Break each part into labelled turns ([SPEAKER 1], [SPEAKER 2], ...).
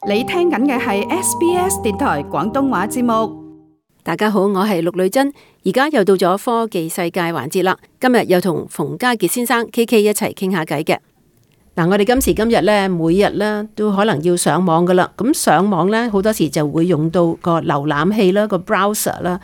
[SPEAKER 1] 你聽緊嘅係 SBS 電台廣東話節目。
[SPEAKER 2] 大家好，我係陸女珍，而家又到咗科技世界環節啦。今日又同馮家傑先生 KK 一齊傾下偈嘅。嗱，我哋今時今日咧，每日咧都可能要上網噶啦。咁上網咧，好多時就會用到個瀏覽器啦，個 browser 啦。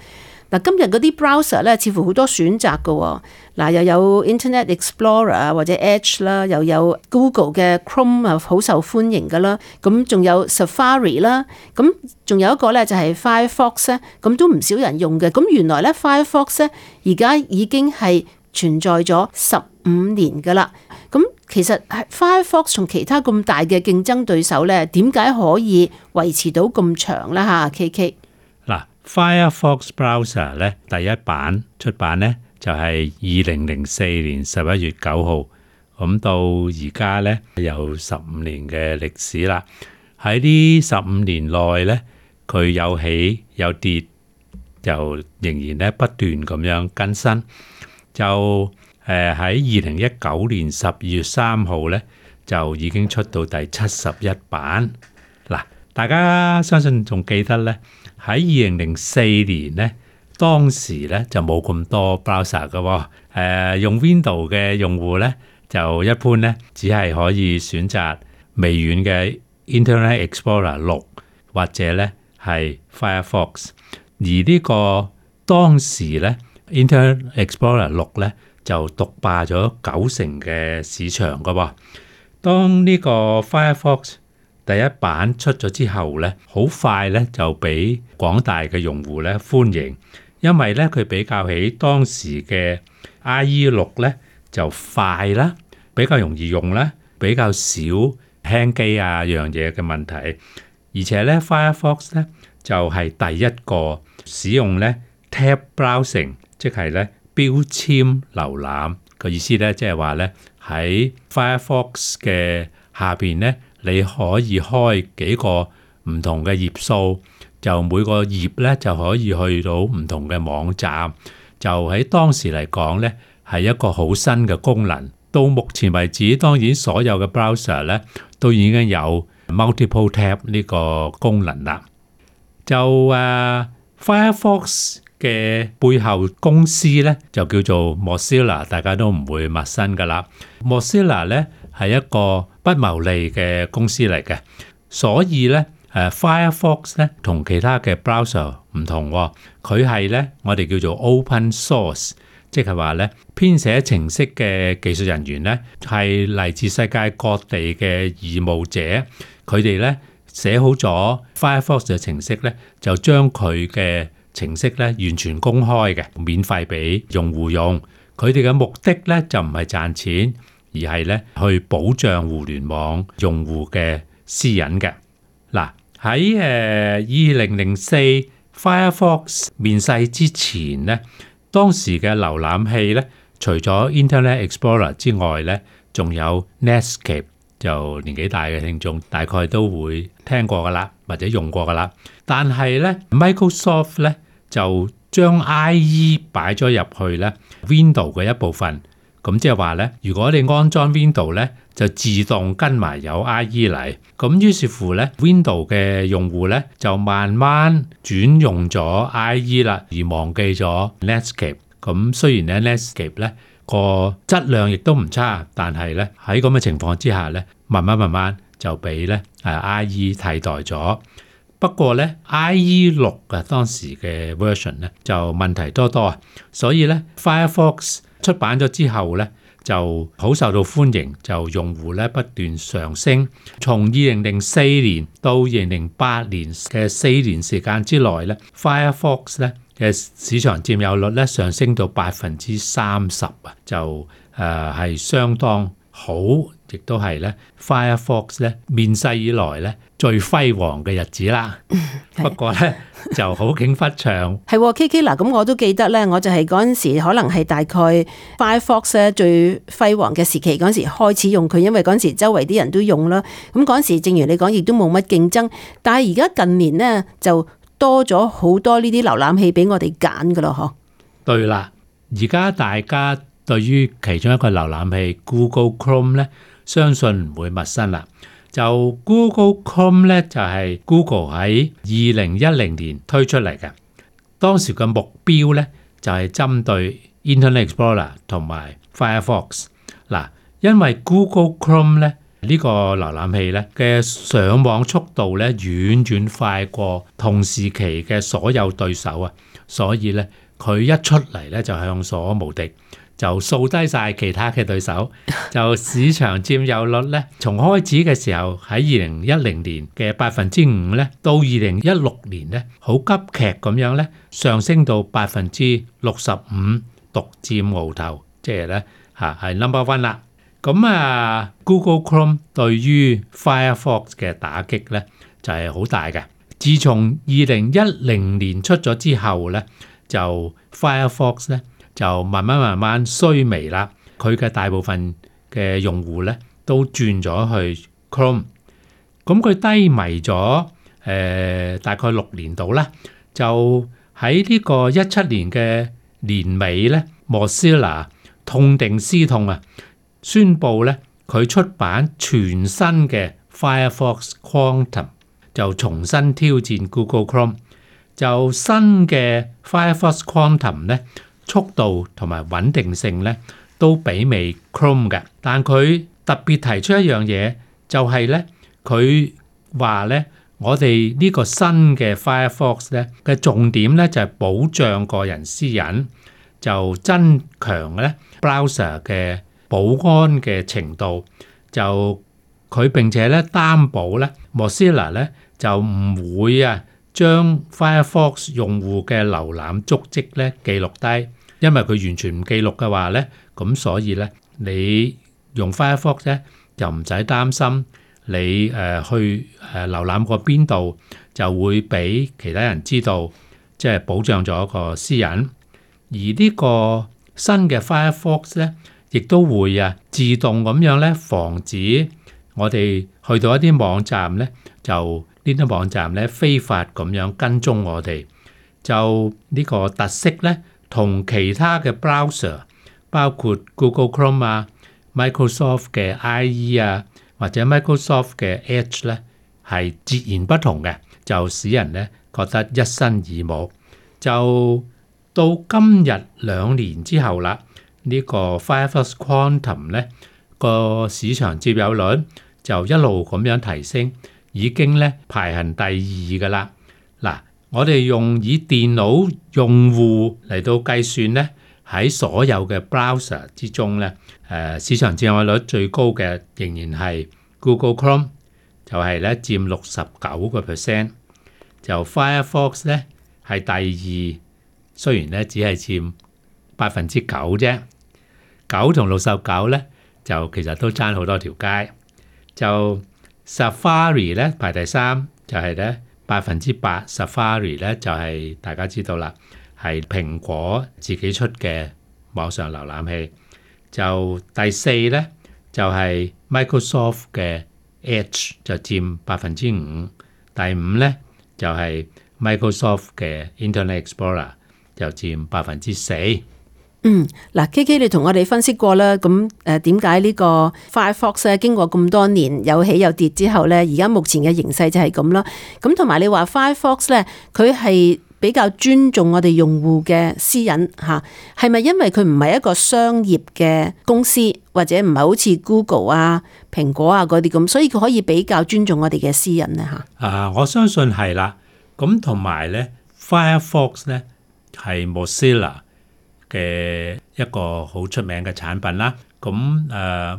[SPEAKER 2] 嗱，今日嗰啲 browser 咧，似乎好多選擇噶喎。嗱，又有 Internet Explorer 啊，或者 Edge 啦，又有 Google 嘅 Chrome 啊，好受歡迎噶啦。咁仲有 Safari 啦，咁仲有一個咧就係 Firefox 咧，咁都唔少人用嘅。咁原來咧 Firefox 咧而家已經係存在咗15年噶啦。咁其實 Firefox 同其他咁大嘅競爭對手咧，點解可以維持到咁長咧？嚇，KK。
[SPEAKER 3] 嗱，Firefox Browser 咧第一版出版咧就係2004年11月9號，咁到而家咧有15年嘅歷史啦。喺呢15年內咧，佢有起有跌，就仍然咧不斷咁樣更新。就喺2019年12月3號咧，就已經出到第71版。嗱，大家相信仲記得咧，喺2004年咧，當時咧就冇咁多 browser 嘅喎。用 Windows 嘅用戶咧，就一般咧只係可以選擇微軟嘅 Internet Explorer 6或者咧係 Firefox。而呢個當時咧 Internet Explorer 6咧就獨霸咗90%嘅市場嘅喎。當呢個 Firefox 第一版出咗之後咧，好快咧就俾廣大嘅用戶咧歡迎，因為咧佢比較起當時嘅 IE6 咧就快啦，比較容易用啦，比較少輕機啊樣嘢嘅問題，而且咧 Firefox 咧就係第一個使用咧 Tab Browsing， 即係咧標籤瀏覽嘅意思咧，即係話咧喺 Firefox 嘅下邊咧，你可以開幾個唔同嘅頁數，就每個頁咧就可以去到唔同嘅網站。就喺當時嚟講咧，係一個好新嘅功能。到目前為止，當然所有嘅 browser 咧都已經有 multiple tab 呢個功能啦。就Firefox 嘅背後公司咧就叫做 Mozilla， 大家都唔會陌生噶啦。Mozilla 咧係一個不牟利嘅公司嚟嘅，所以咧Firefox 咧同其他嘅 browser 唔同喎，佢係咧我哋叫做 open source， 即係話咧編寫程式嘅技術人員咧係嚟自世界各地嘅義務者，佢哋咧寫好咗 Firefox 嘅程式咧，就將佢嘅程式咧完全公開嘅，免費俾用戶用。佢哋嘅目的咧就唔係賺錢，而係咧去保障互聯網用戶嘅私隱嘅。嗱，喺2004 Firefox 面世之前咧，當時嘅瀏覽器咧，除咗 Internet Explorer 之外咧，仲有 Netscape， 就年紀大嘅聽眾大概都會聽過噶啦，或者用過噶啦。但係咧 Microsoft 咧就將 IE 擺咗入去咧 Windows 嘅一部分。咁即係話咧，如果你安裝 Windows 咧，就自動跟埋有 IE 嚟。咁於是乎咧 ，Windows 嘅用戶咧就慢慢轉用咗 IE 啦，而忘記咗 Netscape。咁雖然咧 Netscape 咧個質量亦都唔差，但係咧喺咁嘅情況之下咧，慢慢就俾咧IE 替代咗。不過咧 IE6 嘅當時嘅 version 咧就問題多多啊，所以咧 Firefox 出版咗之後咧就好受到歡迎，就用戶咧不斷上升。從2004年到2008年嘅4年時間之內咧 ，Firefox 咧嘅市場佔有率咧上升到30%啊，就係相當好，亦都係咧 Firefox 咧面世以來咧最輝煌嘅日子啦。不過咧就好景不長。
[SPEAKER 2] 係 KK 嗱，咁我都記得咧，我就係嗰陣時可能係大概 Firefox 咧最輝煌嘅時期嗰陣時開始用佢，因為嗰陣時周圍啲人都用啦。咁嗰陣時正如你講，亦都冇乜競爭。但係而家近年咧就多咗好多呢啲瀏覽器俾我哋揀噶咯，嗬。
[SPEAKER 3] 對啦，而家大家對於其中一個瀏覽器 Google Chrome 咧，相信唔會陌生啦。就 Google Chrome 咧就係 Google 喺2010年推出嚟嘅，當時嘅目標咧就係針對 Internet Explorer 同埋 Firefox。嗱，因為 Google Chrome 咧呢個瀏覽器咧嘅上網速度咧遠遠快過同時期嘅所有對手啊，所以咧佢一出嚟咧就向所無敵。就掃低晒其他嘅對手，就市場佔有率咧，從開始嘅時候喺2010年嘅5%咧，到2016年咧，好急劇咁樣咧上升到65%，獨佔鰲頭，即係咧係 number one 啦。咁Google Chrome 對於 Firefox 嘅打擊咧就係好大嘅。自從2010年出咗之後咧，就 Firefox 咧。就慢慢衰微啦，佢嘅大部分嘅用戶咧都轉咗去 Chrome， 咁佢低迷咗大概6年度啦，就喺呢個17年嘅年尾咧 ，Mozilla 痛定思痛啊，宣布咧佢出版全新嘅 Firefox Quantum， 就重新挑戰 Google Chrome， 就新嘅 Firefox Quantum 咧。速度同埋穩定性咧都媲美 Chrome 嘅，但佢特別提出一樣嘢，就係咧佢話咧，我哋呢個新嘅 Firefox 咧嘅重點咧就係保障個人私隱，就增強咧 browser 嘅保安嘅程度，就佢並且咧擔保咧 Mozilla 咧就唔會將 Firefox 用戶嘅瀏覽足跡咧記錄低，因為佢完全唔記錄嘅話咧，咁所以咧你用 Firefox 咧就唔使擔心你去瀏覽過邊度就會俾其他人知道，即係保障咗個私隱。而呢個新嘅 Firefox 咧，亦都會自動咁樣咧防止我哋去到一啲網站咧就呢啲網站咧非法咁樣跟蹤我哋，就呢個特色咧，同其他嘅 browser， 包括 Google Chrome Microsoft 嘅 IE 或者 Microsoft 嘅 Edge 咧，係截然不同嘅，就使人咧覺得一新耳目。就到今日2年之後啦，呢個 Firefox Quantum 咧個市場佔有率就一路咁樣提升。已經咧排行第2㗎啦。嗱，我哋以電腦用戶嚟到計算咧，喺所有嘅 browser 之中咧，市場佔有率最高嘅仍然係 Google Chrome， 就係咧佔69%。就 Firefox 咧係第2，雖然咧只係佔9%啫，9同69咧就其實都爭好多條街。就Safari 咧排第3，就係咧8%。Safari 咧就係大家知道啦，係蘋果自己出嘅網上瀏覽器。就第4咧就係 Microsoft 嘅 Edge， 就佔5%。第5咧就係 Microsoft 嘅 Internet Explorer， 就佔4%。
[SPEAKER 2] 嗱 KK 你同我哋分析過啦，咁點解呢個 Firefox 咧經過咁多年有起有跌之後咧，而家目前嘅形勢就係咁啦。咁同埋你話 Firefox 咧，佢係比較尊重我哋用戶嘅私隱嚇，係咪因為佢唔係一個商業嘅公司，或者唔係好似 Google 蘋果嗰啲咁，所以佢可以比較尊重我哋嘅私隱咧嚇？
[SPEAKER 3] 我相信係啦。咁同埋咧 ，Firefox 咧係 Mozilla嘅一個好出名嘅產品啦，咁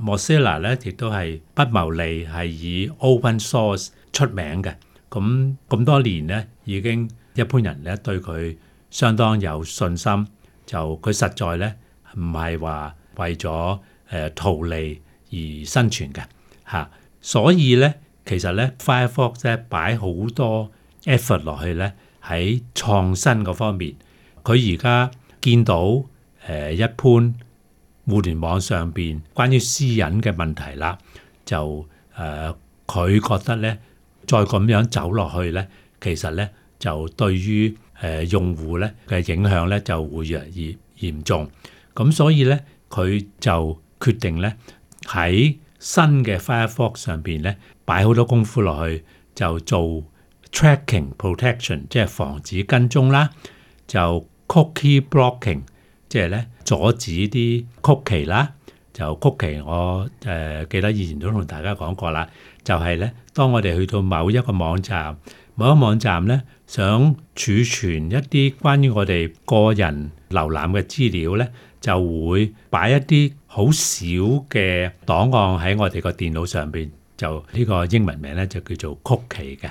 [SPEAKER 3] Mozilla 咧亦都係不牟利，係以 open source 出名嘅。咁多年咧，已經一般人咧對佢相當有信心，就佢實在咧唔係話為咗圖利而生存嘅嚇。所以咧，其實咧 Firefox 咧擺好多 effort 落去咧喺創新嗰方面，佢而家見到一般互聯網上邊關於私隱嘅問題啦，就佢覺得咧再咁樣走落去咧，其實咧就對於用戶咧嘅影響咧就會越嚟越嚴重。咁所以咧佢就決定咧喺新嘅 Firefox 上邊咧擺好多功夫落去，就做 tracking protection， 即係防止跟蹤啦，就 cookie blocking， 即係咧阻止啲 cookie 啦。就 cookie 我記得以前都同大家講過啦，就係咧當我哋去到某一個網站咧想儲存一啲關於我哋個人瀏覽嘅資料咧，就會擺一啲好少嘅檔案喺我哋個電腦上邊，就呢個英文名咧就叫做 cookie 嘅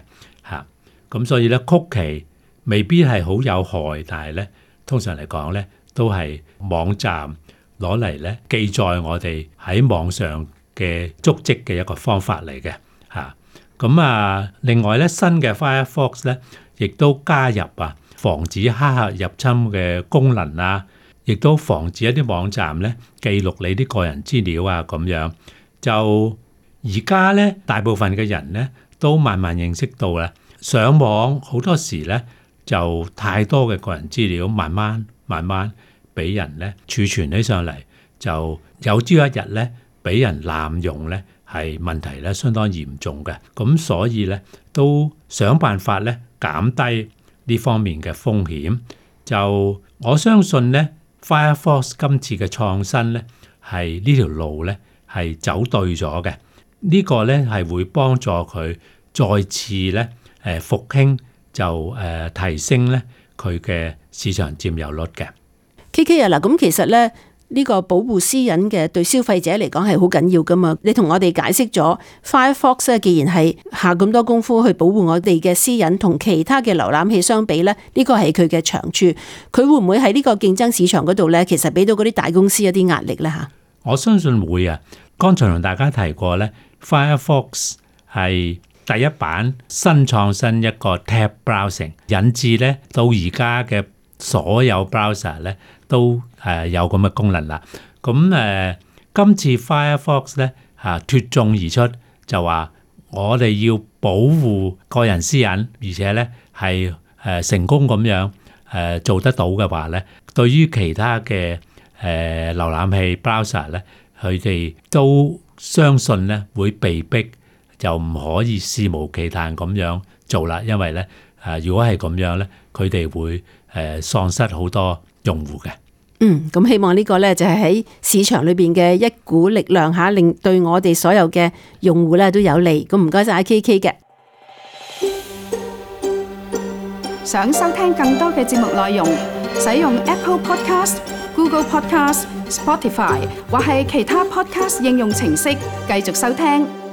[SPEAKER 3] 嚇。咁所以咧 cookie 未必係好有害，但係咧通常嚟講咧都係網站攞嚟咧記載我哋喺網上嘅足跡嘅一個方法嚟嘅嚇。咁另外咧新嘅 Firefox 咧亦都加入防止黑客入侵嘅功能啊，亦都防止一啲網站咧記錄你啲個人資料啊咁樣。就而家咧大部分嘅人咧都慢慢認識到啦，上網好多時咧就太多嘅個人資料慢慢俾人咧儲存起上嚟，就有朝一日咧俾人濫用咧係問題咧相當嚴重嘅。咁所以咧都想辦法咧減低呢方面嘅風險。就我相信咧 Firefox 今次嘅創新咧係呢條路咧係走對咗嘅。呢個咧係會幫助佢再次咧復興，就提升咧佢嘅市場佔有率嘅。
[SPEAKER 2] KK 啊，嗱，咁其實咧呢個保護私隱嘅對消費者嚟講係好緊要噶嘛。你同我哋解釋咗 Firefox 咧，既然係下咁多功夫去保護我哋嘅私隱，同其他嘅瀏覽器相比咧，呢個係佢嘅長處。佢會唔會喺呢個競爭市場嗰度咧，其實俾到嗰啲大公司一啲壓力咧嚇？我
[SPEAKER 3] 相信會啊。剛才同大家提過咧 ，Firefox 係第一版新創新一個 tab browsing， 引致咧到而家嘅所有 browser 咧都有咁嘅功能啦。咁今次 Firefox 咧脫眾而出，就話我哋要保護個人私隱，而且咧係成功咁樣做得到嘅話咧，對於其他嘅瀏覽器 browser 咧，佢哋都相信咧會被逼就唔可以肆無忌憚咁樣做啦，因為咧如果係咁樣咧，佢哋會喪失好多用戶嘅。
[SPEAKER 2] 咁希望呢個咧就係喺市場裏邊嘅一股力量嚇，令對我哋所有嘅用戶咧都有利。咁唔該晒 KK 嘅。
[SPEAKER 1] 想收聽更多嘅節目內容，使用 Apple Podcast、Google Podcast、Spotify 或係其他 Podcast 應用程式繼續收聽。